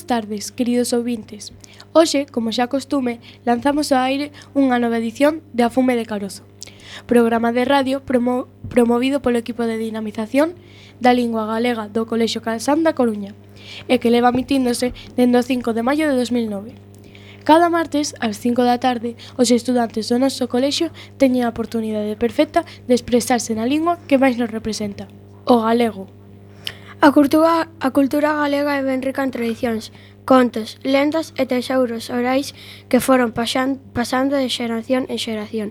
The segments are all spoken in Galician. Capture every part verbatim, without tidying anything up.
Boas tardes, queridos ouvintes. Hoxe, como xa costume, lanzamos ao aire unha nova edición de A Fume de Carozo, programa de radio promo promovido polo equipo de dinamización da lingua galega do Colexio Calsán da Coruña e que leva emitíndose dende o cinco de maio de dos mil nove. Cada martes, ás cinco da tarde, os estudantes do noso colexio teñen a oportunidade perfecta de expresarse na lingua que máis nos representa, o galego. A cultura, a cultura galega é ben rica en tradicións, contos, lendas e tesouros orais que foron pasan, pasando de xeración en xeración.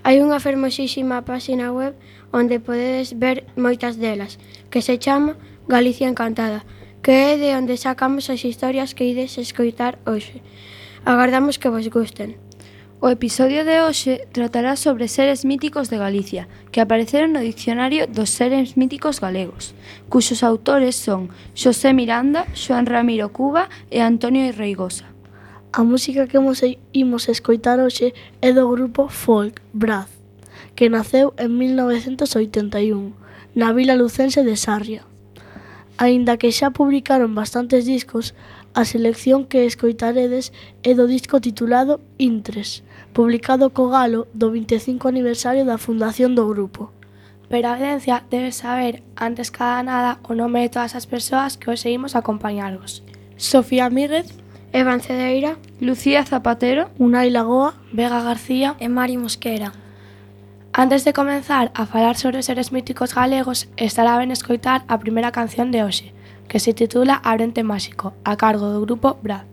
Hai unha fermosísima páxina web onde podedes ver moitas delas, que se chama Galicia Encantada, que é de onde sacamos as historias que ides escoitar hoxe. Agardamos que vos gusten. O episodio de hoxe tratará sobre seres míticos de Galicia, que apareceron no Dicionario dos Seres Míticos Galegos, cuxos autores son Xosé Miranda, Xoán Ramiro Cuba e Antonio Reigosa. A música que imos escoitar hoxe é do grupo folk Braz, que naceu en mil novecentos oitenta e un, na vila lucense de Sarria. Aínda que xa publicaron bastantes discos, a selección que escoitaredes é do disco titulado Intres, publicado co galo do vinte e cinco aniversario da fundación do grupo. Pero a audiencia debe saber, antes que nada, o nome de todas as persoas que hoxe imos acompañarvos. Sofía Míguez, Evan Cedeira, Lucía Zapatero, Unai Lagoa, Vega García e Mari Mosquera. Antes de comenzar a falar sobre os seres míticos galegos, estará ben escoitar a primeira canción de hoxe, que se titula Abrente Máxico, a cargo do grupo Braz.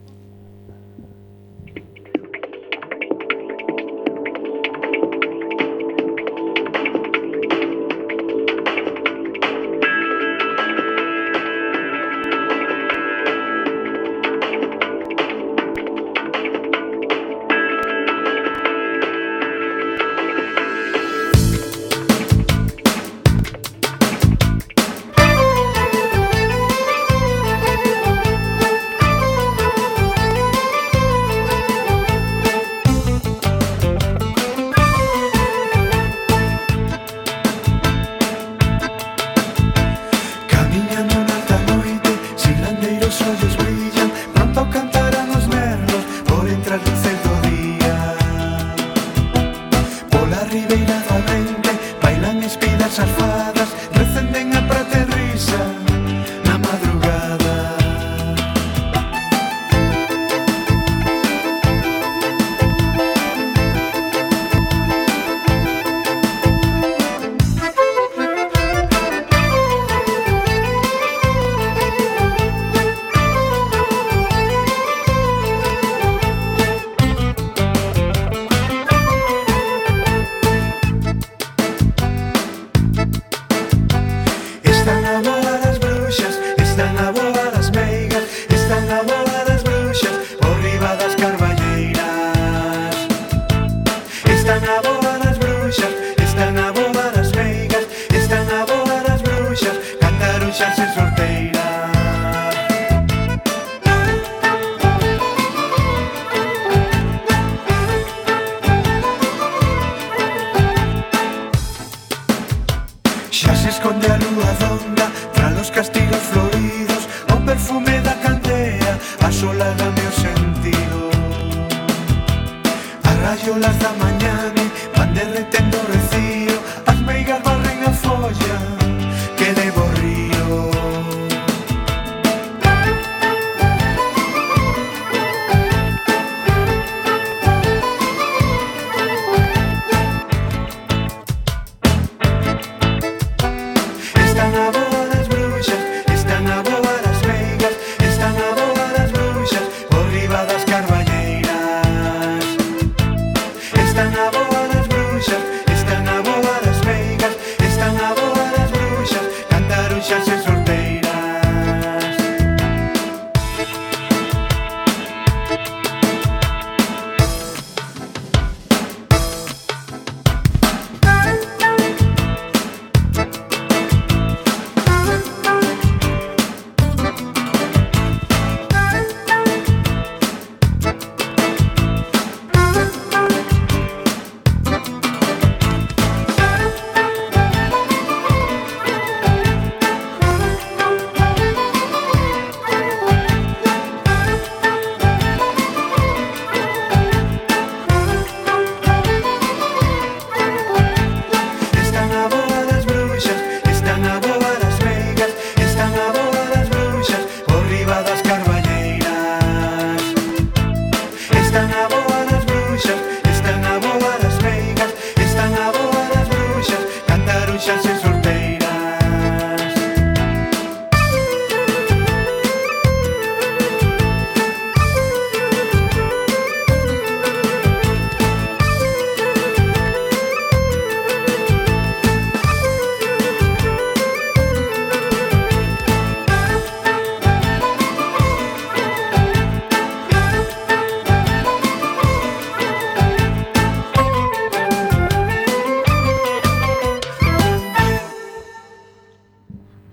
monxas e solteiras.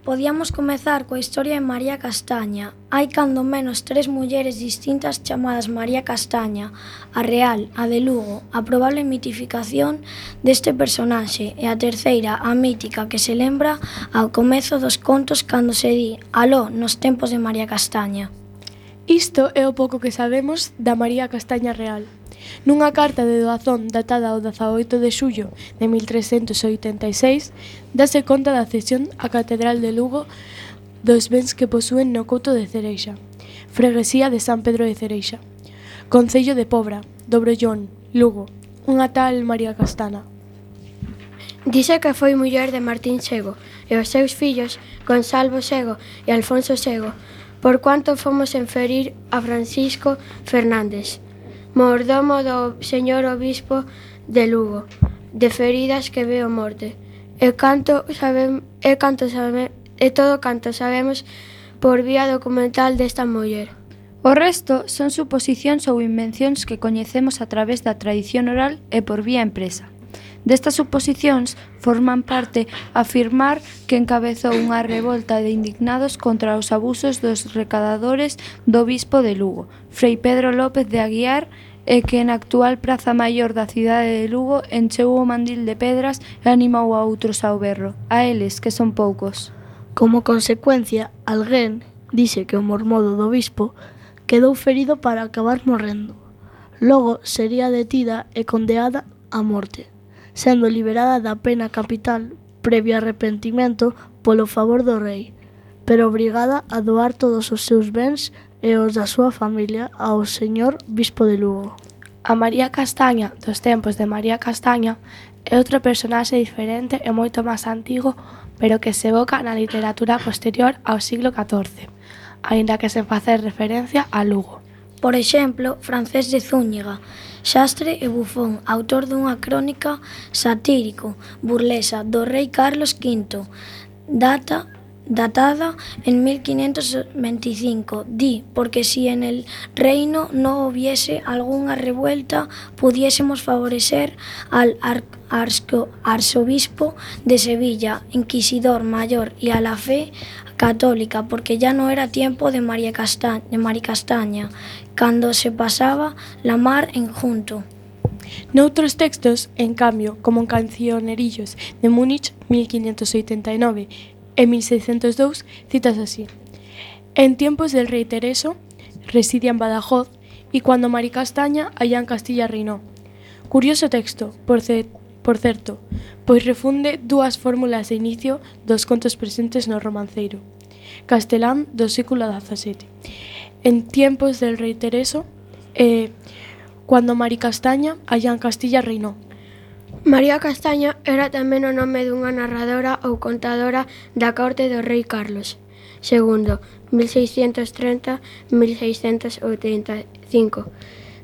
Podíamos comezar coa historia de María Castaña. Hai cando menos tres mulleres distintas chamadas María Castaña, a real, a de Lugo, a probable mitificación deste personaxe, e a terceira, a mítica, que se lembra ao comezo dos contos cando se di aló nos tempos de María Castaña. Isto é o pouco que sabemos da María Castaña real. Nunha carta de doazón datada ao dezaoito de xullo de mil trescentos oitenta e seis, dase conta da cesión á Catedral de Lugo dos bens que posúen no Couto de Cereixa, freguesía de San Pedro de Cereixa, concello de Pobra, do Brollón, Lugo, unha tal María Castana. Dice que foi muller de Martín Sego e os seus fillos Gonsalvo Sego e Alfonso Sego, por cuanto fomos inferir a Francisco Fernández, mordomo do señor obispo de Lugo, de feridas que veo morte. E canto sabem, e canto sabe, e todo canto sabemos por vía documental desta muller. O resto son suposicións ou invencións que coñecemos a través da tradición oral e por vía empresa. Destas suposicións forman parte afirmar que encabezou unha revolta de indignados contra os abusos dos recadadores do bispo de Lugo, Frei Pedro López de Aguiar, e que na actual Praza Maior da cidade de Lugo encheu o mandil de pedras e animou a outros ao berro, a eles, que son poucos. Como consecuencia, alguén dice que o mormodo do bispo quedou ferido para acabar morrendo. Logo sería detida e condeada a morte, sendo liberada da pena capital previo arrepentimento polo favor do rei, pero obrigada a doar todos os seus bens e os da súa familia ao señor bispo de Lugo. A María Castaña, dos tempos de María Castaña, é outro personaxe diferente e moito máis antigo, pero que se evoca na literatura posterior ao siglo catorce, aínda que sen facer referencia a Lugo. Por exemplo, Francés de Zúñiga, xastre e bufón, autor dunha crónica satírico, burlesa, do rei Carlos quinto, data datada en mil quinientos veinticinco, di, porque si en el reino no hubiese alguna revuelta, pudiésemos favorecer al ar arzo arzobispo de Sevilla, inquisidor mayor, y a la fe católica, porque ya no era tiempo de María Castaña, de María Castaña, cando se pasaba la mar en junto. Noutros textos, en cambio, como en Cancionerillos de Múnich mil quinientos oitenta e nove e mil seiscentos dous, citas así: en tiempos del rey Tereso, residía en Badajoz, y cuando María Castaña allá en Castilla reinó. Curioso texto, por, ce por certo, pois refunde dúas fórmulas de inicio dos contos presentes no romanceiro castelán do século dezasete. En tiempos del rey Tereso, e cuando María Castaña allá en Castilla reinó. María Castaña era tamén o nome dunha narradora ou contadora da corte do rei Carlos segundo, mil seiscentos treinta a mil seiscentos oitenta e cinco,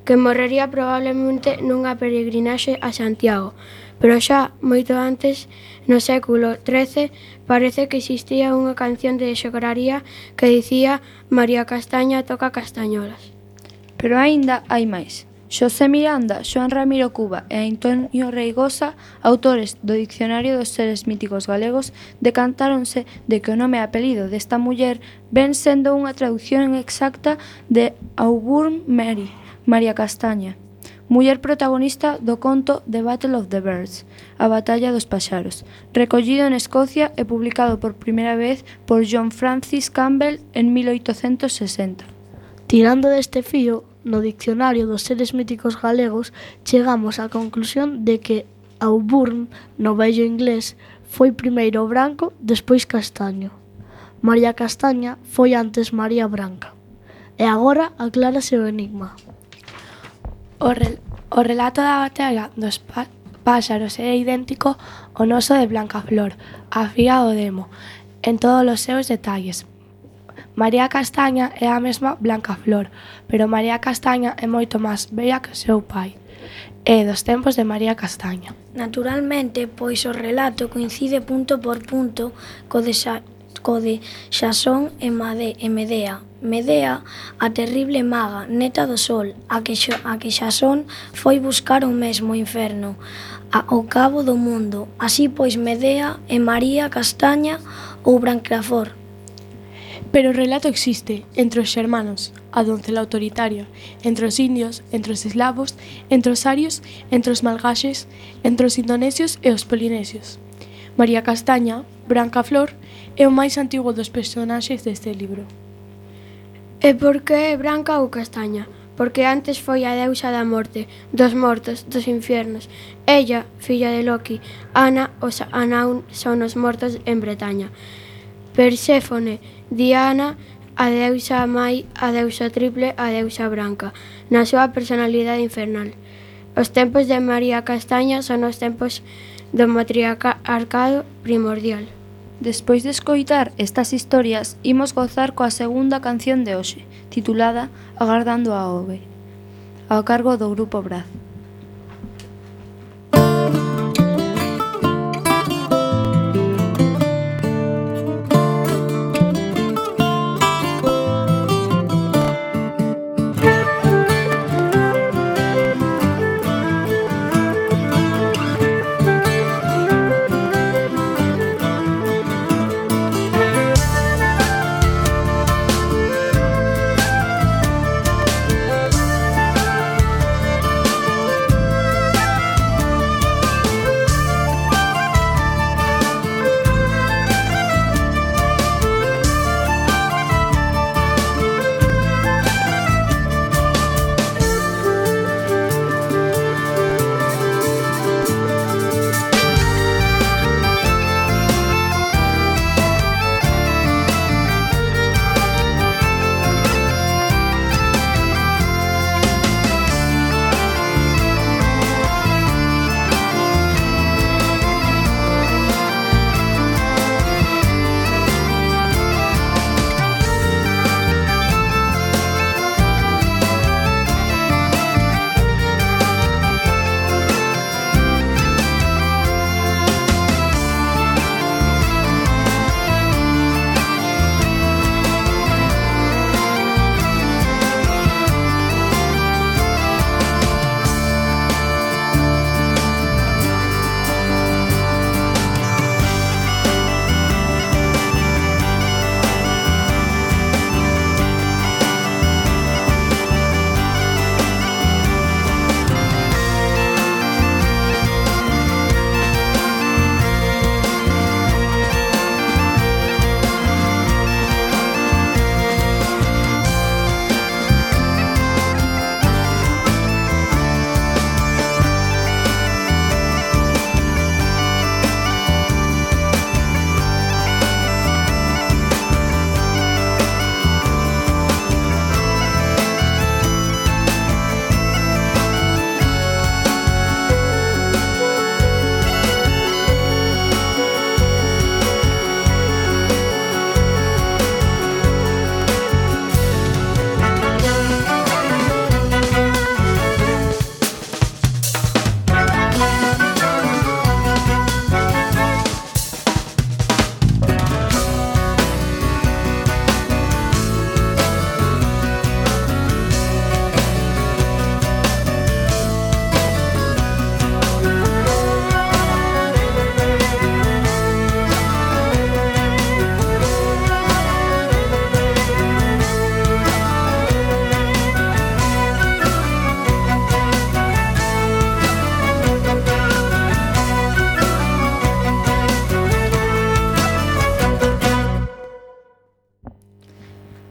que morrería probablemente nunha peregrinaxe a Santiago, pero xa moito antes, no século trece, parece que existía unha canción de xograría que dicía María Castaña toca castañolas. Pero aínda hai máis. Xosé Miranda, Xoán Ramiro Cuba e Antonio Reigosa, autores do Dicionario dos Seres Míticos Galegos, decantáronse de que o nome e apelido desta muller ven sendo unha traducción exacta de Auburn Mary, María Castaña, muller protagonista do conto The Battle of the Birds, a Batalla dos Paxaros, recollido en Escocia e publicado por primeira vez por John Francis Campbell en mil oitocentos sesenta. Tirando deste fío, no Dicionario dos Seres Míticos Galegos chegamos á conclusión de que Auburn, no vello inglés, foi primeiro branco, despois castaño. María Castaña foi antes María Branca. E agora aclárase o enigma. O, rel o relato da batalla dos, pa páxaros é idéntico ao noso de Blancaflor, afía o demo, en todos os seus detalles. María Castaña é a mesma Blancaflor, pero María Castaña é moito máis bella que o seu pai. É dos tempos de María Castaña. Naturalmente, pois o relato coincide punto por punto co de, Xa, co de Xasón e, Made, e Medea. Medea, a terrible maga, neta do sol, a que, a que Xasón foi buscar o mesmo inferno, a, ao cabo do mundo. Así pois Medea e María Castaña ou Blancaflor. Pero o relato existe entre os xermanos, a doncela autoritaria, entre os indios, entre os eslavos, entre os arios, entre os malgaxes, entre os indonesios e os polinesios. María Castaña, Blancaflor, é o máis antigo dos personaxes deste libro. E por que é branca ou castaña? Porque antes foi a deusa da morte, dos mortos, dos infiernos. Ella, filla de Loki, Ana, os Anaun son os mortos en Bretaña. Perséfone, Diana, a deusa mai, a deusa triple, a deusa branca, na súa personalidade infernal. Os tempos de María Castaña son os tempos do matriarcado primordial. Despois de escoitar estas historias, imos gozar coa segunda canción de hoxe, titulada Agardando a Ove, ao cargo do Grupo Braz.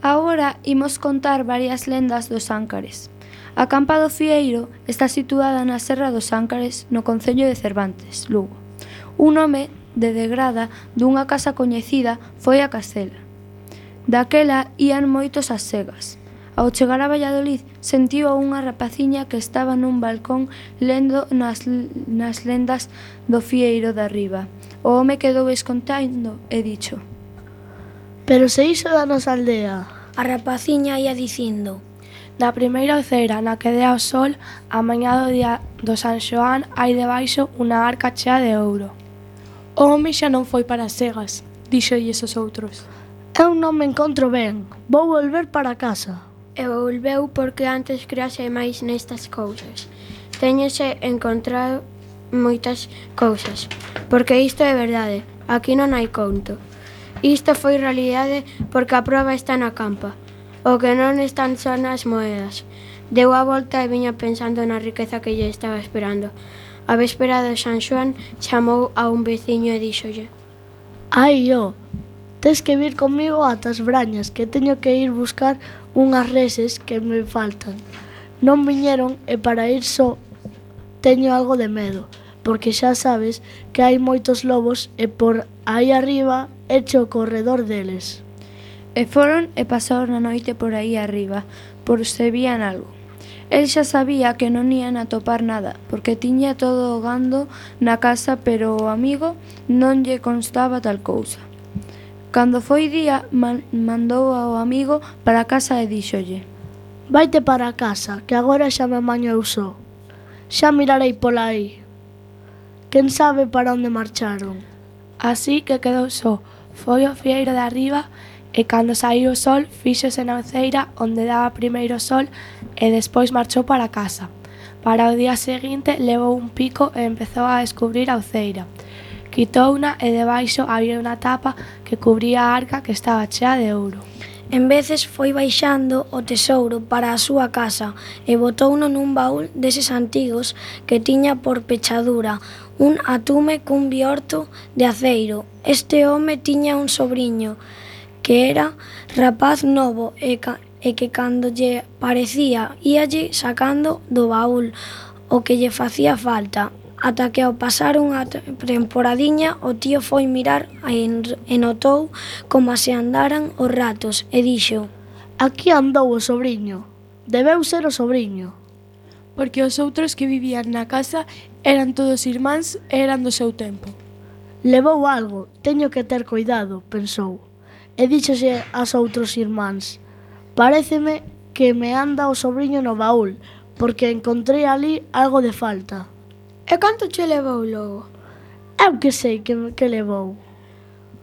Agora imos contar varias lendas dos Áncares. A Campa do Fieiro está situada na Serra dos Áncares, no concello de Cervantes, Lugo. Un home de degrada dunha casa coñecida foi a Castela. Daquela ían moitos ás segas. Ao chegar a Valladolid, sentiu a unha rapaciña que estaba nun balcón lendo nas, nas lendas do fieiro de arriba. O home quedou escontando e dixo: Pero se iso da nosa aldea. A rapaciña ia dicindo: Na primeira oceira na que dea o sol, a mañá do día do San Xoán, hai debaixo unha arca chea de ouro. O home xa non foi para Segas, díxolles os outros. Eu non me encontro ben, vou volver para casa. E volveu porque antes crease máis nestas cousas. Téñese encontrado moitas cousas, porque isto é verdade, aquí non hai conto. Isto foi realidade porque a proba está na campa. O que non están son as moedas. Deu a volta e viña pensando na riqueza que lle estaba esperando. A véspera de San Xoán chamou a un veciño e díxolle: Ai, ó, tes que vir comigo ata as Brañas, que teño que ir buscar unhas reses que me faltan. Non viñeron e para ir só teño algo de medo, porque xa sabes que hai moitos lobos e por aí arriba eche o corredor deles. E foron e pasaron a noite por aí arriba, por se vían algo. El xa sabía que non ian a topar nada, porque tiña todo o gando na casa, pero o amigo non lle constaba tal cousa. Cando foi día, man, mandou ao amigo para casa e díxolle: Vaite para casa, que agora xa me amaño eu só. Xa mirarei pola aí. Quen sabe para onde marcharon. Así que quedou só, foi ao fieiro de arriba e cando saíu o sol fíxose na oceira onde daba primeiro o sol e despois marchou para casa. Para o día seguinte levou un pico e empezou a descubrir a oceira. Quitouna e debaixo había unha tapa que cubría a arca que estaba chea de ouro. En veces foi baixando o tesouro para a súa casa e botouno nun baúl deses antigos que tiña por pechadura un atume cun biorto de aceiro. Este home tiña un sobriño que era rapaz novo e, ca, e que cando lle parecía íalle sacando do baúl o que lle facía falta, ata que ao pasar unha temporadiña o tío foi mirar e, e notou como se andaran os ratos e dixo: Aquí andou o sobriño, debeu ser o sobriño. Porque os outros que vivían na casa eran todos irmáns e eran do seu tempo. Levou algo, teño que ter cuidado, pensou. E díxose aos outros irmáns: Paréceme que me anda o sobriño no baúl, porque encontrei ali algo de falta. E canto che levou logo? Eu que sei que, que levou.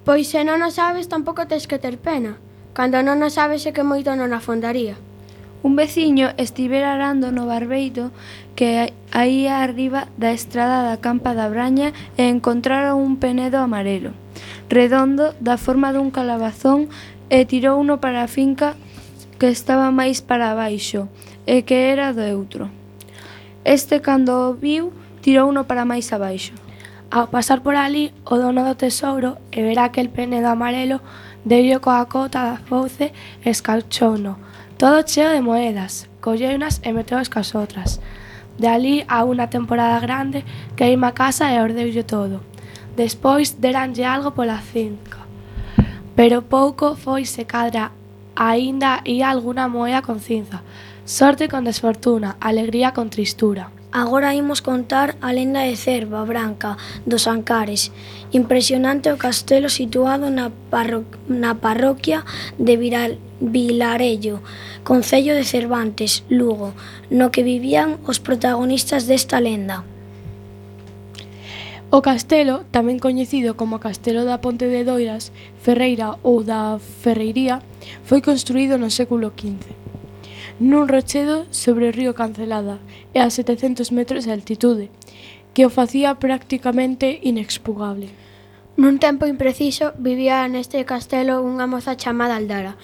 Pois se non o sabes tampouco tes que ter pena. Cando non o sabes é que moito non afondaría. Un veciño estivera arando no barbeito que aí arriba da estrada da Campa da Braña e encontraron un penedo amarelo, redondo, da forma dun calabazón, e tirouno para a finca que estaba máis para abaixo e que era do outro. Este, cando o viu, tirouno para máis abaixo. Ao pasar por ali, o dono do tesouro e ver aquel penedo amarelo, deulle coa cota da fouce e escauchouno, todo cheo de moedas, colleunas e meteos cas outras. De ali a unha temporada grande que ima a casa e ordeulle todo. Despois deranlle algo pola finca, pero pouco foi se cadra aínda ía alguna moeda con cinza. Sorte con desfortuna, alegría con tristura. Agora imos contar a lenda de Cerva Branca dos Ancares. Impresionante o castelo situado na, parro na parroquia de Viral Vilarello, concello de Cervantes, Lugo, no que vivían os protagonistas desta lenda. O castelo, tamén coñecido como Castelo da Ponte de Doiras, Ferreira ou da Ferreiría, foi construído no século quince. Nun rochedo sobre o río Cancelada e a setecentos metros de altitude, que o facía prácticamente inexpugnable. Nun tempo impreciso vivía neste castelo unha moza chamada Aldara,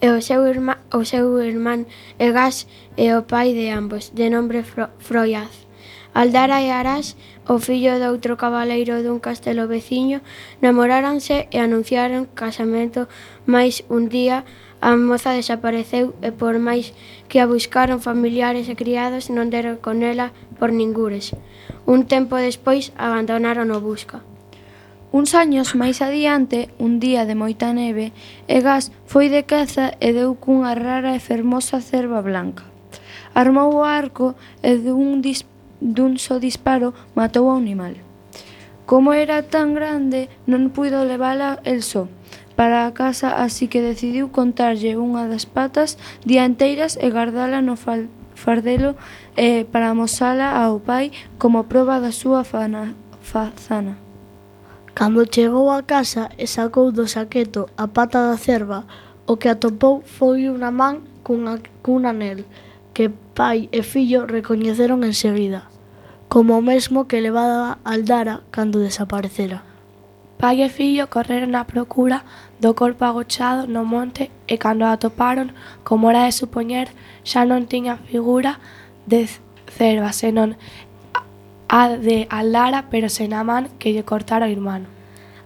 e o seu, irma, o seu irmán Egas e o pai de ambos, de nombre Fro, Froiaz. Aldara e Arás, o fillo de outro cabaleiro dun castelo veciño, namoráranse e anunciaron casamento, mais un día a moza desapareceu e por máis que a buscaron familiares e criados non deron con ela por ningures. Un tempo despois abandonaron o busca. Uns años máis adiante, un día de moita neve, Egas foi de caza e deu cunha rara e fermosa cerva blanca. Armou o arco e dun, dis, dun só disparo matou ao animal. Como era tan grande, non puido levala el só para a casa, así que decidiu contarlle unha das patas dianteiras e guardala no fal, fardelo eh, para amosala ao pai como proba da súa fana, fazana. Cando chegou a casa e sacou do saqueto a pata da cerva, o que atopou foi unha man cunha, cun anel, que pai e fillo recoñeceron enseguida, como o mesmo que levaba Aldara cando desaparecera. Pai e fillo correron á procura do corpo agochado no monte e cando a atoparon, como era de supoñer, xa non tiña figura de cerva, senón a de Aldara, pero sen a man que lle cortara o irmán.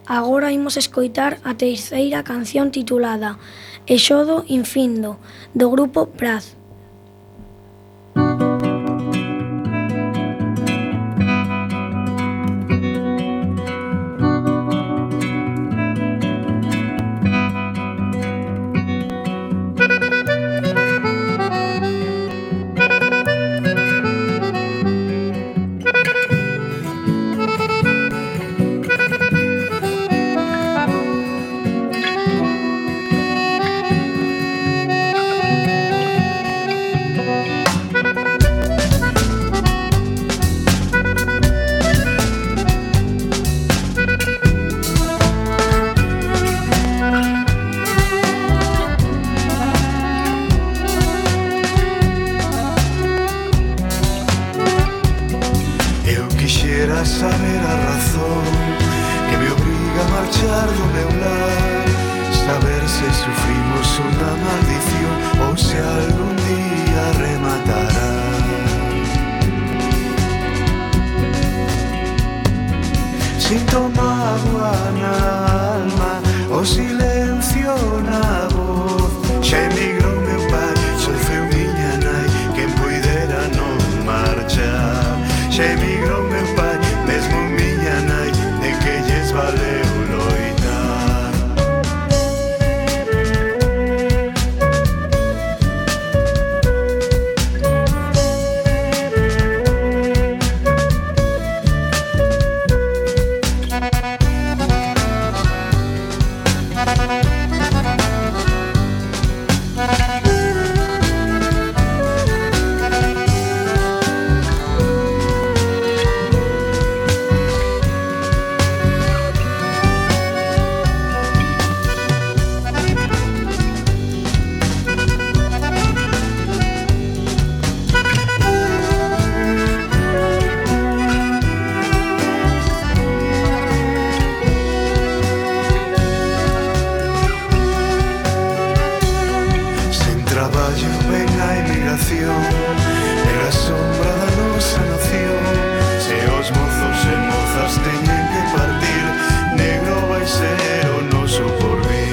Agora imos escoitar a terceira canción titulada Exodo Infindo, do grupo Braz. Saber a razón que me obriga a marchar do meu lar, saber se sufrimos unha maldición ou se algún día rematará. Sinto mágoa na alma, o silencio na voz. Xa emigrou meu pai, sofreu miña nai, quen puidera non marchar. Xa emigrou meu pai, mesmo miña nai, de que lles valeu loitar. Era a sombra da nosa nación. Se os mozos e mozas teñen que partir, negro vai ser o noso porvir.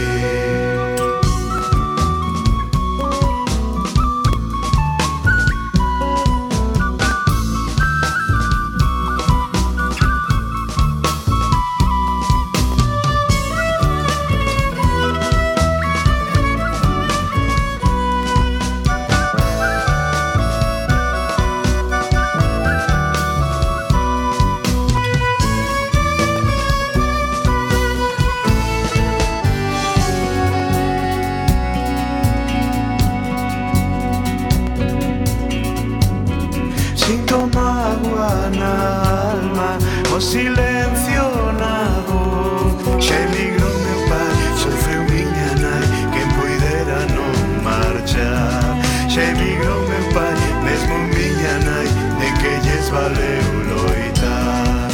Sinto mágoa na alma, o silencio na voz. Xa emigrou meu pai, sofreu miña nai, quen puidera non marchar. Xa emigrou meu pai, mesmo miña nai, de que lles valeu loitar.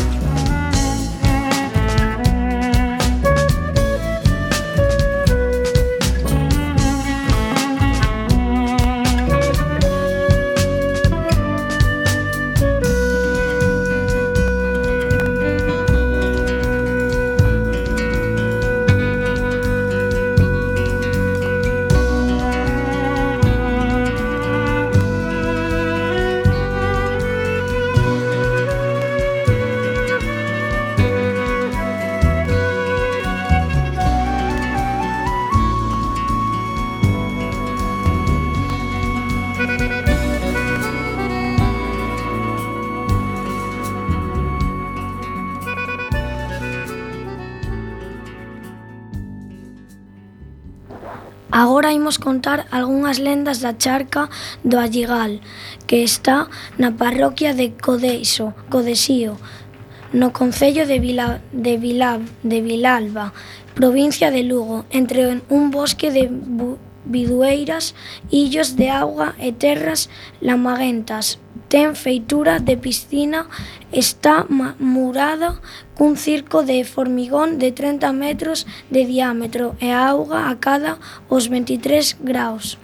Agora imos contar algunhas lendas da charca do Alligal, que está na parroquia de Codeixo, Codesío, no concello de, Vila, de, Vila, de Vilalba, provincia de Lugo, entre un bosque de bidueiras, illos de auga e terras lamaguentas. Ten feitura de piscina, está murada cun circo de formigón de trinta metros de diámetro e a auga acada os veintitrés graus.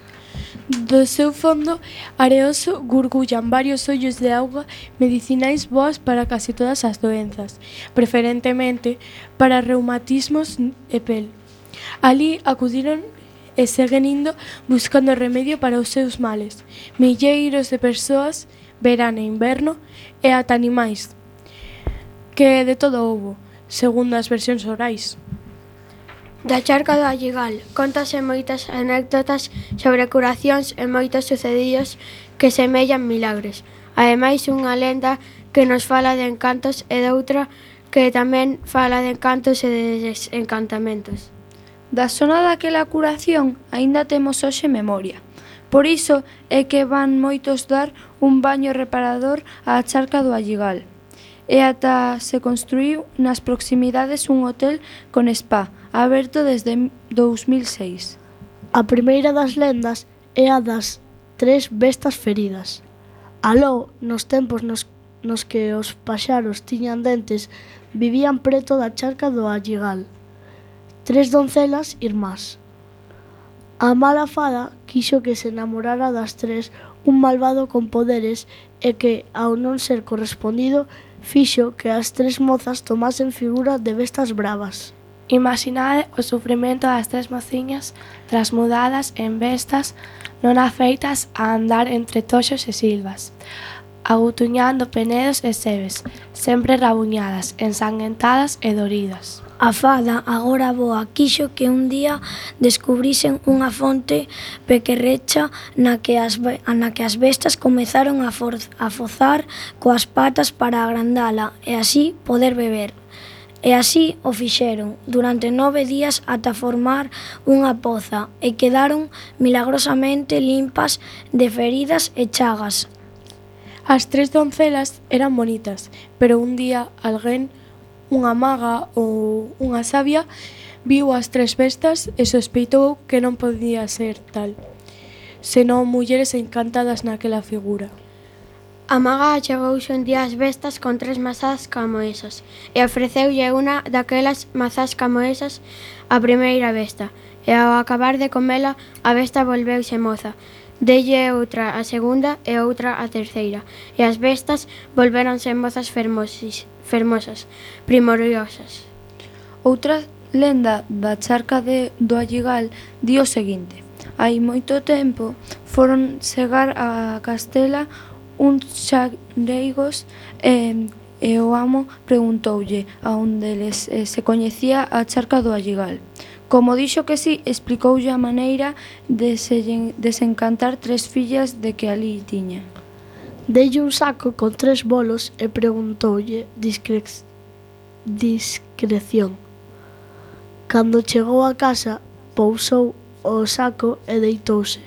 Do seu fondo areoso gurgullan varios ollos de auga medicinais boas para casi todas as doenzas, preferentemente para reumatismos e pel. Ali acudiron e seguen indo buscando remedio para os seus males. Milleiros de persoas, verán e inverno, e ata animais, que de todo houbo, segundo as versións orais. Da charca do Alligal contase moitas anécdotas sobre curacións e moitos sucedidos que semellan milagres. Ademais, unha lenda que nos fala de encantos e doutra que tamén fala de encantos e de desencantamentos. Da zona daquela curación aínda temos hoxe memoria. Por iso é que van moitos dar un baño reparador á charca do Alligal. E ata se construíu nas proximidades un hotel con spa, aberto desde dous mil seis. A primeira das lendas é a das tres bestas feridas. Aló, nos tempos nos, nos que os paxaros tiñan dentes, vivían preto da charca do Alligal tres doncelas irmás. A mala fada quixo que se namorara das tres un malvado con poderes e que, ao non ser correspondido, fixo que as tres mozas tomasen figura de bestas bravas. Imaginade o sufrimento das tres mociñas transmudadas en bestas non afeitas a andar entre toxos e silvas, agutuñando penedos e sebes, sempre rabuñadas, ensanguentadas e doridas. A fada, agora boa, quixo que un día descubrisen unha fonte pequerrecha na que as, na que as bestas comezaron a, for, a fozar coas patas para agrandala e así poder beber. E así o fixeron durante nove días ata formar unha poza e quedaron milagrosamente limpas de feridas e chagas. As tres doncelas eran bonitas, pero un día alguén, unha maga ou unha sabia, viu as tres bestas e sospeitou que non podía ser tal, senón mulleres encantadas naquela figura. A maga achegouse un día as bestas con tres mazás como esas e ofreceulle unha daquelas mazás como esas a primeira besta, e ao acabar de comela a besta volveuse moza. Delle outra a segunda e outra a terceira, e as bestas volveronse mozas fermosis, fermosas, primordiosas. Outra lenda da charca de, do Alligal di o seguinte: hai moito tempo foron chegar a Castela uns xareigos e, e o amo preguntoulle a un deles eh, se coñecía a charca do Alligal. Como dixo que sí, explicoulle a maneira de se desencantar tres fillas de que ali tiña. Deille un saco con tres bolos e preguntoulle discre... discreción. Cando chegou a casa, pousou o saco e deitouse,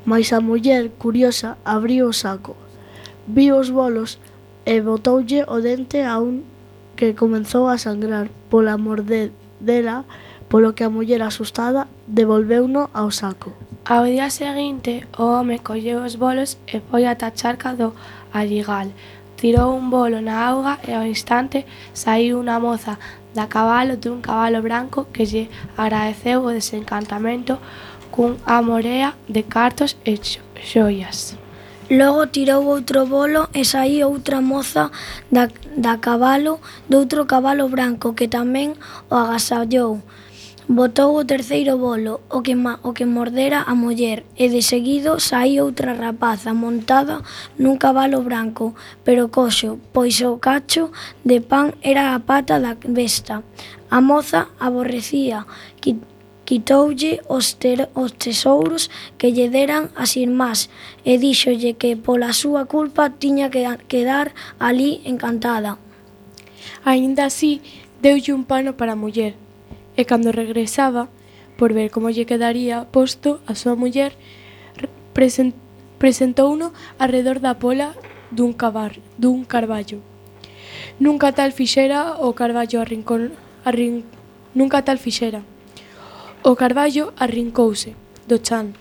mais a muller, curiosa, abriu o saco, viu os bolos e botoulle o dente a un que comenzou a sangrar pola mordedela, polo que a muller, asustada, devolveuno ao saco. Ao día seguinte, o home colleu os bolos e foi ata a charca do Alligal. Tirou un bolo na auga e ao instante saiu unha moza da cabalo dun cabalo branco que lle agradeceu o desencantamento cun amorea de cartos e xoias. Logo tirou outro bolo e saíu outra moza da, da cabalo doutro cabalo branco que tamén o agasallou. Botou o terceiro bolo, o que, ma, o que mordera a muller, e de seguido saíu outra rapaza montada nun cabalo branco, pero coxo, pois o cacho de pan era a pata da besta. A moza aborrecía, quitoulle os, ter, os tesouros que lle deran as irmás e díxolle que pola súa culpa tiña que quedar ali encantada. Aínda así, deulle un pano para a muller, e cando regresaba, por ver como lle quedaría posto, a súa muller present, presentouno arredor da pola dun, cabar, dun carballo. Nunca tal fixera o carballo arrincón, arrin, nunca tal fixera. O carballo arrincouse do chan.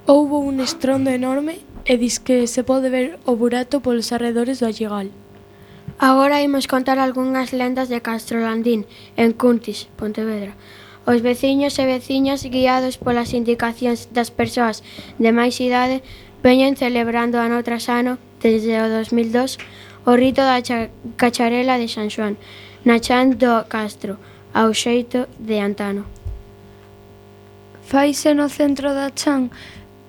Houbo un estrondo enorme e dis que se pode ver o burato polos arredores do Alligal. Agora imos contar algunhas lendas de Castrolandín, en Cuntis, Pontevedra. Os veciños e veciñas, guiados polas indicacións das persoas de máis idade, veñen celebrando ano tras ano, desde o dos mil dos, o rito da cacharela de San Xoán, na chan do Castro, ao xeito de antano. Faise no centro da chan,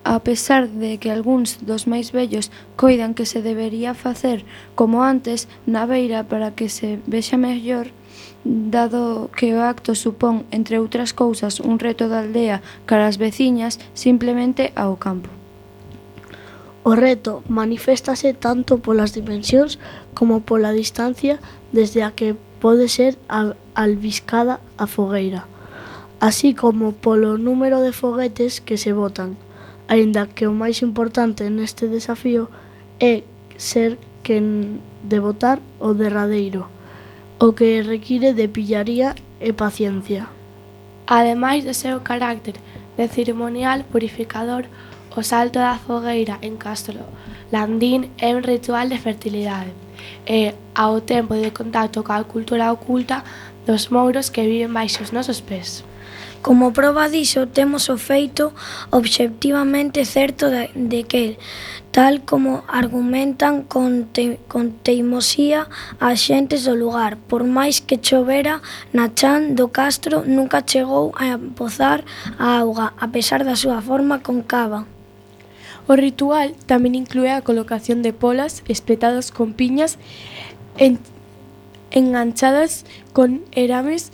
a pesar de que algúns dos máis vellos coidan que se debería facer como antes na beira para que se vexa mellor, dado que o acto supón, entre outras cousas, un reto da aldea cara as veciñas, simplemente ao campo. O reto maniféstase tanto polas dimensións como pola distancia desde a que pode ser albiscada a fogueira, así como polo número de foguetes que se botan, aínda que o máis importante neste desafío é ser quen de botar o derradeiro, o que require de pillaría e paciencia. Ademais do seu carácter de ceremonial purificador, o salto da fogueira en Castro Landín é un ritual de fertilidade e, ao tempo, de contacto coa cultura oculta dos mouros que viven baixo os nosos pés. Como proba diso, temos o feito obxectivamente certo de, de que, tal como argumentan con, te, con teimosía as xentes do lugar, por máis que chovera na chan do Castro, nunca chegou a pozar a auga, a pesar da súa forma concava. O ritual tamén inclúe a colocación de polas espetadas con piñas en, enganchadas con erames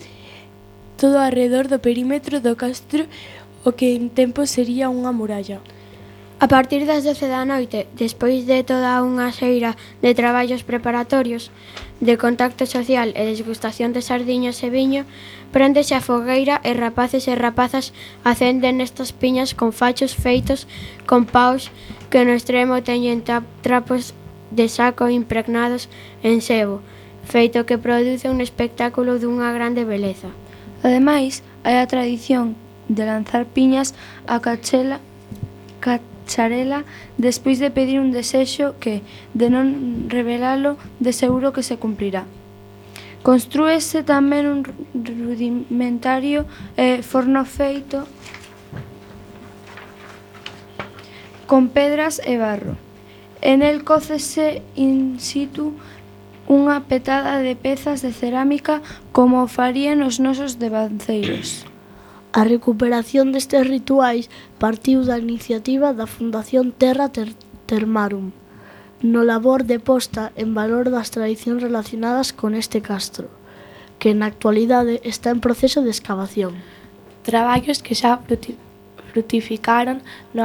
todo arredor do perímetro do castro, o que en tempo sería unha muralla. A partir das doce da noite, despois de toda unha xeira de traballos preparatorios, de contacto social e desgustación de sardiñas e viño, préndese a fogueira e rapaces e rapazas acenden estas piñas con fachos feitos con paus que no extremo teñen trapos de saco impregnados en sebo, feito que produce un espectáculo dunha grande beleza. Ademais, hai a tradición de lanzar piñas a cachela, cacharela despois de pedir un desexo que, de non revelalo, de seguro que se cumprirá. Construíse tamén un rudimentario eh, forno feito con pedras e barro. En el cócese in situ unha petada de pezas de cerámica como o farían os nosos devanceiros. A recuperación destes rituais partiu da iniciativa da Fundación Terra Ter Termarum, no labor de posta en valor das tradicións relacionadas con este castro, que na actualidade está en proceso de escavación. Traballos que xa frutificaron no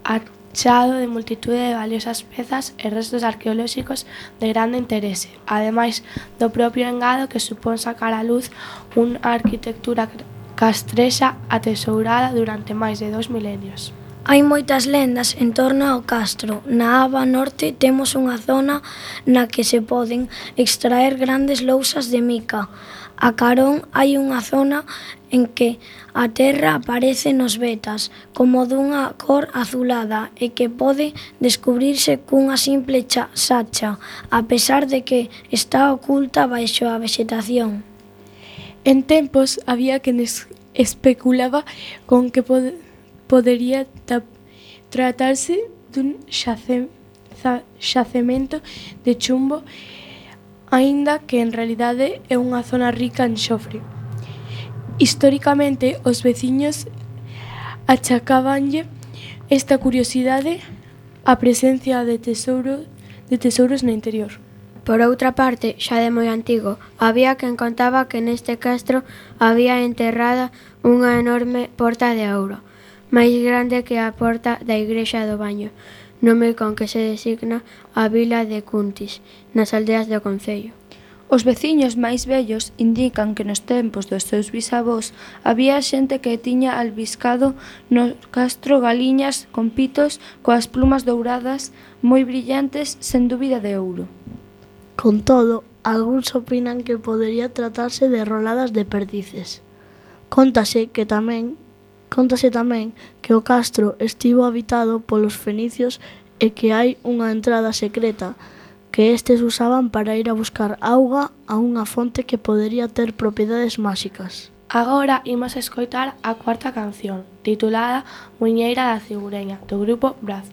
achado de multitude de valiosas pezas e restos arqueolóxicos de grande interese, ademais do propio engado que supón sacar á luz unha arquitectura castrexa atesourada durante máis de dous milenios. Hai moitas lendas en torno ao castro. Na aba norte temos unha zona na que se poden extraer grandes lousas de mica. A carón hai unha zona en que a terra aparece nos vetas como dunha cor azulada e que pode descubrirse cunha simple cha sacha, a pesar de que está oculta baixo a vexetación. En tempos había quen especulaba con que pod podería tratarse dun xace xacemento de chumbo, aínda que en realidade é unha zona rica en xofre. Históricamente, os veciños achacábanlle esta curiosidade á presencia de tesouro de tesouros no interior. Por outra parte, xa de moi antigo, había quen contaba que neste castro había enterrada unha enorme porta de ouro, máis grande que a porta da igrexa do Baño, nome con que se designa a vila de Cuntis, nas aldeas do concello. Os veciños máis vellos indican que nos tempos dos seus bisavós había xente que tiña albiscado no castro galiñas con pitos coas plumas douradas moi brillantes, sen dúbida de ouro. Con todo, algúns opinan que podería tratarse de roladas de perdices. Cóntase que tamén, cóntase tamén que o castro estivo habitado polos fenicios e que hai unha entrada secreta que estes usaban para ir a buscar auga a unha fonte que podería ter propiedades máxicas. Agora imos escoitar a cuarta canción, titulada Muiñeira da Cigureña, do grupo Braz.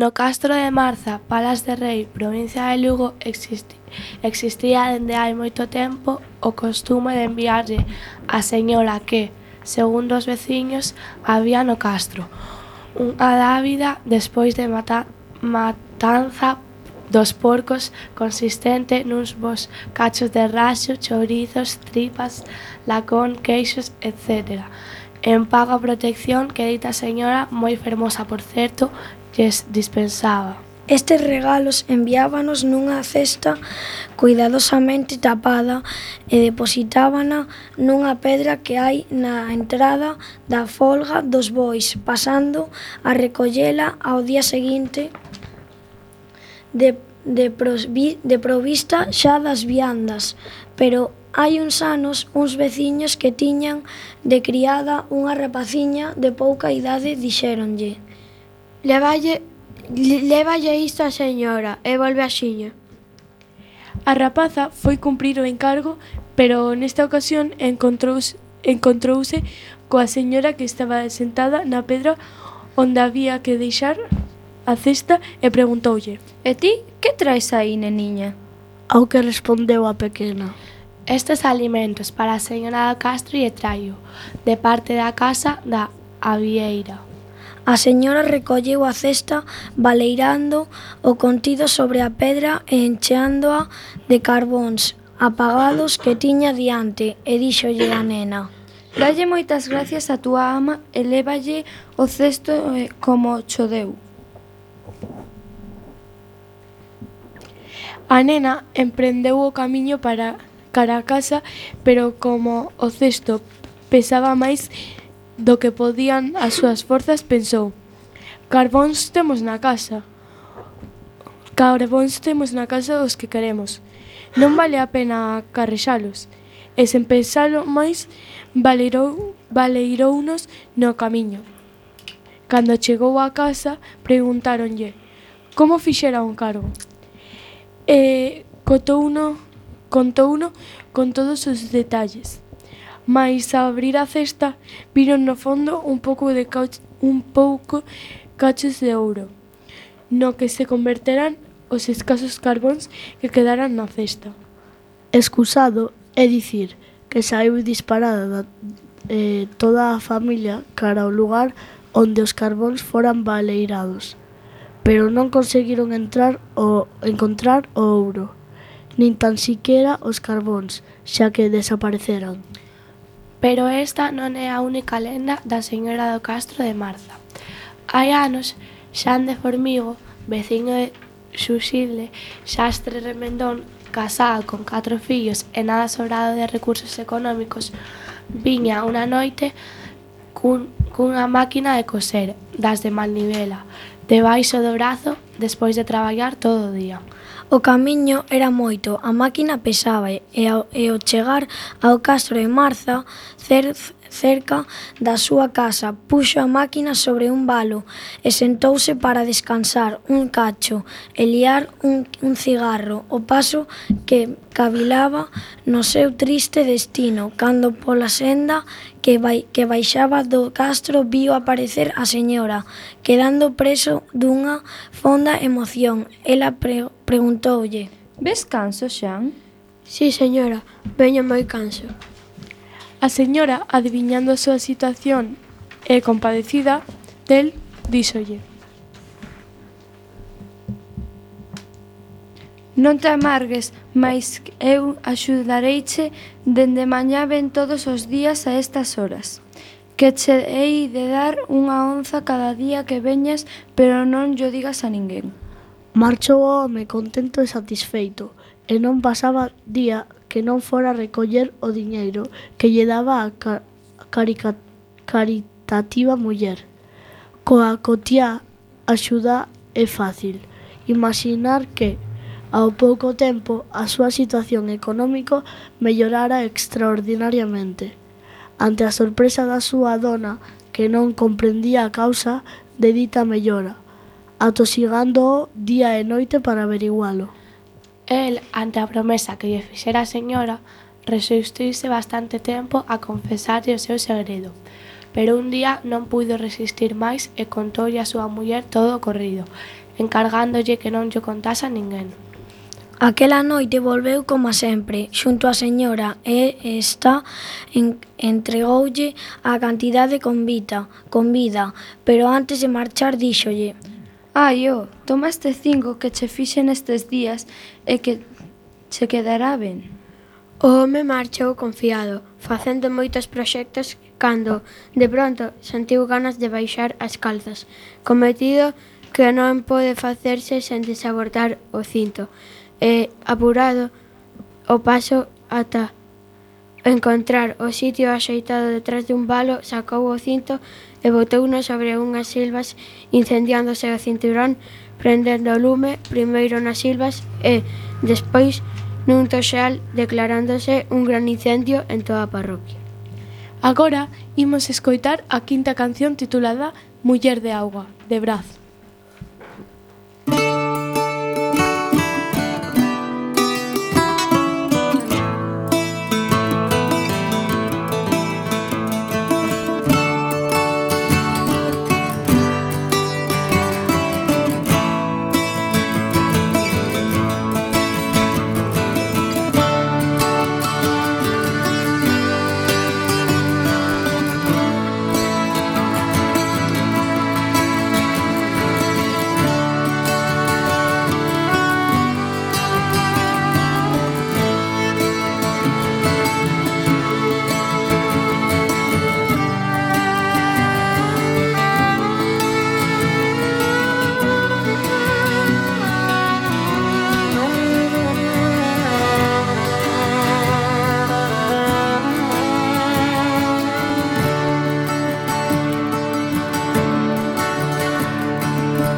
No castro de Marza, Palas de Rei, provincia de Lugo, existi, existía dende hai moito tempo o costume de enviarlle a señora que, segundo os veciños, había no castro unha dávida despois de mata, matanza dos porcos consistente nuns bos cachos de raxo, chourizos, tripas, lacón, queixos, etcétera. En pago a protección que dita señora, moi fermosa por certo, lles dispensaba. Estes regalos enviábanos nunha cesta cuidadosamente tapada e depositábana nunha pedra que hai na entrada da folga dos bois, pasando a recollela ao día seguinte de, de, prosvi, de provista xa das viandas, pero hai uns anos uns veciños que tiñan de criada unha rapaciña de pouca idade dixéronlle: Levalle, levalle isto a señora e volve axiña. A rapaza foi cumprir o encargo, pero nesta ocasión encontrouse, encontrouse coa señora que estaba sentada na pedra onde había que deixar a cesta e preguntoulle: E ti, que traes aí, neniña? Ao que respondeu a pequena: Estes alimentos para a señora do Castro e traio, de parte da casa da Avieira. A señora recolleu a cesta baleirando o contido sobre a pedra e encheándoa de carbóns apagados que tiña diante e díxolle a nena: Dalle moitas gracias a túa ama e lévalle o cesto eh, como cho deu. A nena emprendeu o camiño para cara a casa, pero como o cesto pesaba máis do que podían as súas forzas, pensou: Carbóns temos na casa. Carbóns temos na casa os que queremos. Non vale a pena carrexalos. E sen pensalo máis, baleirou, baleirounos no camiño. Cando chegou á casa, preguntáronlle como fixera un cargo. E contouno, contouno con todos os detalles. Mais ao abrir a cesta, viron no fondo un pouco de cach, un pouco cachos de ouro, no que se converterán os escasos carbóns que quedaran na cesta. Excusado é dicir que saiu disparada da, eh, toda a familia cara ao lugar onde os carbóns foran baleirados, pero non conseguiron entrar o encontrar o ouro, nin tan siquera os carbóns, xa que desapareceran. Pero esta non é a única lenda da señora do Castro de Marza. Hai anos, Xan de Formigo, veciño de Xuxilde, xastre remendón, casado con catro fillos e nada sobrado de recursos económicos, viña unha noite cun, cunha máquina de coser, das de Malnivela, debaixo do brazo, despois de traballar todo o día. O camiño era moito, a máquina pesaba e ao, e ao chegar ao Castro de Marza, cer, cerca da súa casa, puxo a máquina sobre un valo e sentouse para descansar un cacho e liar un, un cigarro, o paso que cavilaba no seu triste destino, cando pola senda que, vai, que baixaba do Castro viu aparecer a señora, quedando preso dunha fonda emoción. Ela pre, preguntoulle: Ves canso, Xan? Sí, señora, veño moi canso. A señora, adiviñando a súa situación e compadecida del, díxolle: Non te amargues, mais eu axudareiche, dende mañá ven todos os días a estas horas. Que che hei de dar unha onza cada día que veñas, pero non llo digas a ninguén. Marchou o home contento e satisfeito, e non pasaba día que non fora recoller o diñeiro que lle daba a ca- carica- caritativa muller. Coa cotiá axuda é fácil imaginar que, ao pouco tempo, a súa situación económica mellorara extraordinariamente. Ante a sorpresa da súa dona, que non comprendía a causa de dita mellora, atosigándoo día e noite para averigualo. El, ante a promesa que lle fixera a señora, resistiuse bastante tempo a confesarlle o seu segredo, pero un día non puido resistir máis e contoulle a súa muller todo o ocorrido, encargándolle que non llo contase a ninguén. Aquela noite volveu como sempre, xunto á señora, e esta en, entregoulle a cantidade con vida, con vida, pero antes de marchar díxolle: Ai, ó, toma este cinco que che fixen estes días e que che quedará ben. O home marchou confiado, facendo moitos proxectos cando, de pronto, sentiu ganas de baixar as calzas, cometido que non pode facerse sen desabortar o cinto, e, apurado o paso ata encontrar o sitio axeitado detrás dun valo, sacou o cinto e botouno sobre unhas silvas, incendiándose o cinturón, prendendo o lume primeiro nas silvas e, despois, nun toxal declarándose un gran incendio en toda a parroquia. Agora imos escoitar a quinta canción titulada Muller de Auga, de Braz.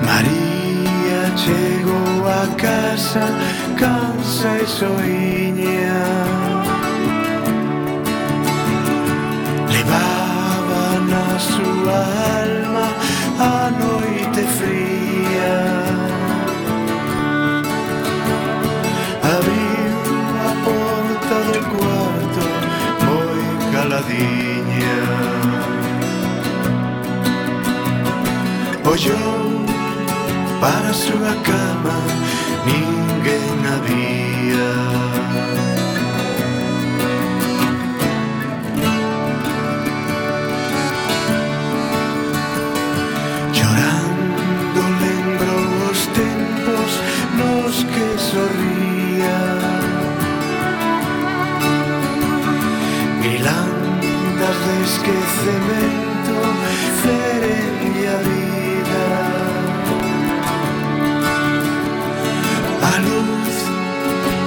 María chegou a casa cansa e soiña, levaba na súa alma a noite fría. Abriu a porta do cuarto moi caladiña, ollou para a súa cama, ninguén había. Chorando lembro os tempos nos que sorría, milandas de esquecemento ferenlle a vida. A luz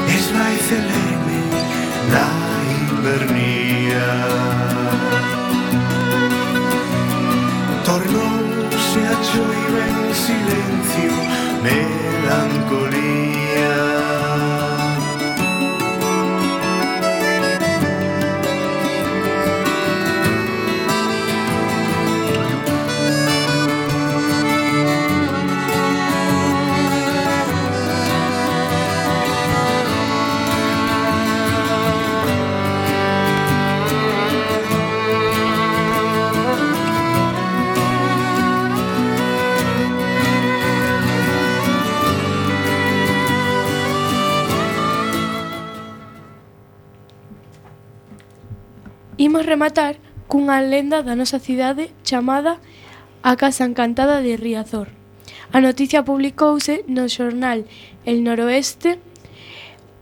esvaiceleme na invernía, tornouse a choiva en silencio, melancolía. Imos rematar cunha lenda da nosa cidade chamada A Casa Encantada de Riazor. A noticia publicouse no xornal El Noroeste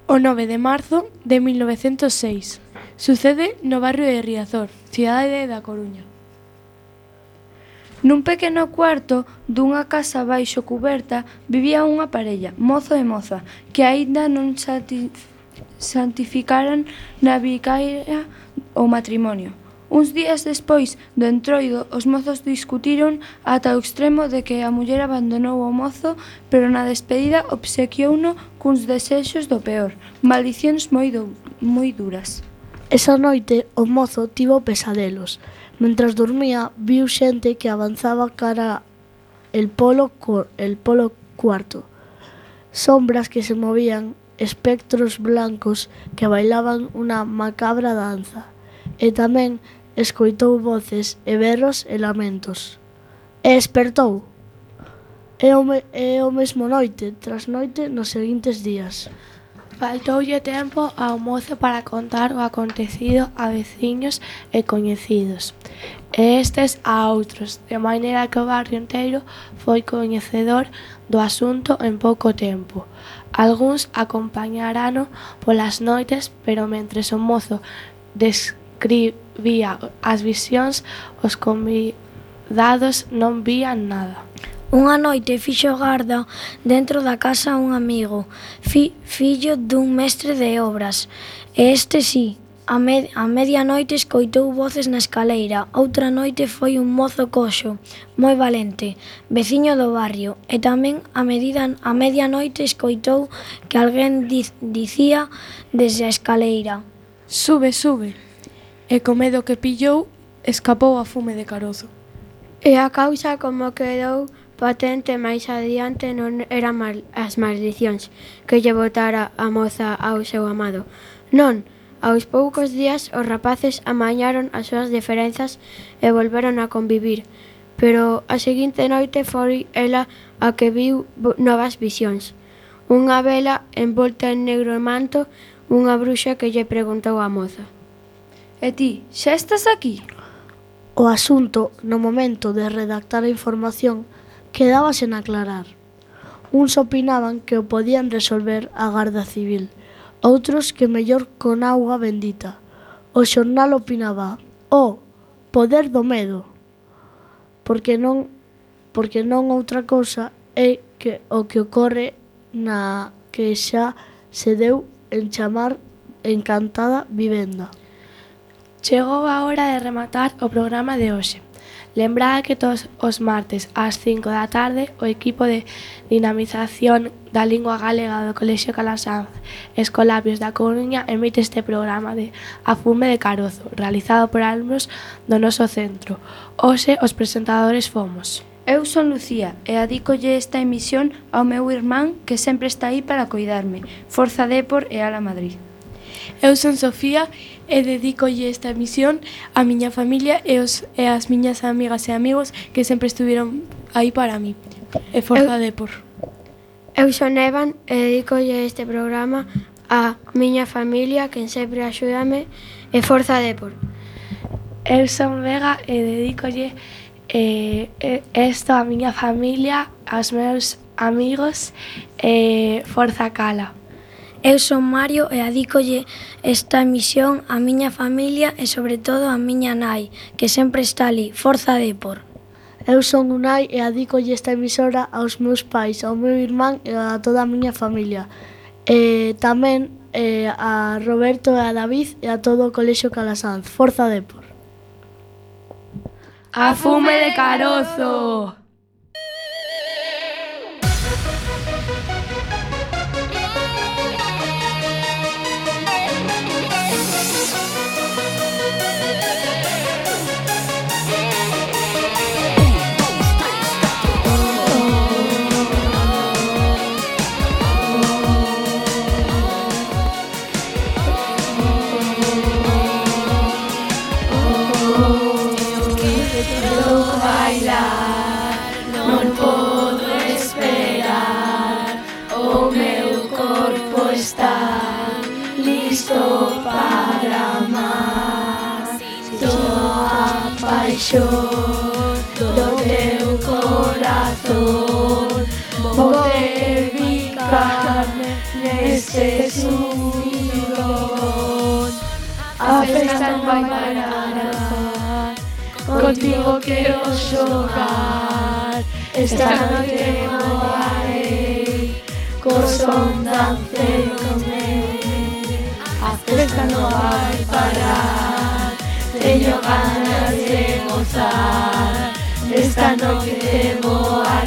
o nove de marzo de mil novecentos seis. Sucede no barrio de Riazor, cidade da Coruña. Nun pequeno cuarto dunha casa baixo cuberta vivía unha parella, mozo e moza, que aínda non santificaran na vicaria o matrimonio. Uns días despois do entroido, os mozos discutiron ata o extremo de que a muller abandonou o mozo, pero na despedida obsequiouno cuns desexos do peor, maldicións moi, do, moi duras. Esa noite o mozo tivo pesadelos. Mentras dormía, viu xente que avanzaba cara el polo, el polo cuarto. Sombras que se movían, espectros blancos que bailaban unha macabra danza. E tamén escoitou voces e berros e lamentos. E despertou. E o, me, e o mesmo noite, tras noite, nos seguintes días. Faltoulle tempo ao mozo para contar o acontecido a veciños e coñecidos, e estes a outros, de maneira que o barrio inteiro foi coñecedor do asunto en pouco tempo. Algúns acompañarano polas noites, pero mentres o mozo describía as visións, os convidados non vían nada. Unha noite fixo garda dentro da casa un amigo, fi, fillo dun mestre de obras, e este sí, a, med a medianoite escoitou voces na escaleira. Outra noite foi un mozo coxo, moi valente, veciño do barrio. E tamén a, medida, a medianoite escoitou que alguén diz, dicía desde a escaleira: Sube, sube. E co medo que pillou, escapou a fume de carozo. E a causa, como quedou patente máis adiante, non eran mal, as maldicións que lle botara a moza ao seu amado. Non, aos poucos días os rapaces amañaron as súas diferenzas e volveron a convivir, pero a seguinte noite foi ela a que viu novas visións. Unha vela envolta en negro manto, unha bruxa que lle preguntou á moza: E ti, xa estás aquí? O asunto, no momento de redactar a información, quedaba sen aclarar. Uns opinaban que o podían resolver a Garda Civil, outros que mellor con auga bendita. O xornal opinaba: o poder do medo. Porque non, porque non outra cousa é que o que ocorre na que xa se deu en chamar Encantada Vivenda. Chegou a hora de rematar o programa de hoxe. Lembrade que todos os martes ás cinco da tarde o equipo de dinamización da lingua galega do Colexio Calasanz Escolapios da Coruña emite este programa de A fume de carozo, realizado por alumnos do noso centro. Hoxe os presentadores fomos Eu son Lucía e adícolle esta emisión ao meu irmán que sempre está aí para coidarme. Forza Depor e Ala Madrid. Eu son Sofía e dedícolle esta emisión á miña familia e, os, e as miñas amigas e amigos que sempre estuvieron aí para mí. E Forza Eu- Depor. Eu son Evan e dedicolle este programa á miña familia, quen sempre axúdame, e Forza Depor. Eu son Vega e dedícolle eh, eh, esto á miña familia, aos meus amigos e Forza Cala. Eu son Mario e adícolle esta emisión á miña familia e sobre todo á miña nai, que sempre está ali. Forza Depor. Eu son Unai e adícolle esta emisora aos meus pais, ao meu irmán e a toda a miña familia. E tamén eh, a Roberto e a David e a todo o Colexio Calasanz. Forza Depor. A fume de carozo! Non podo esperar, o meu corpo está listo para amar. Toda a paixón do teu corazón vou dedicar neste subidón. A festa non vai parar, contigo quero xogar. Esta noite voarei, co son dancei con ele. A festa non vai parar, teño ganas de gozar. Esta noite voarei.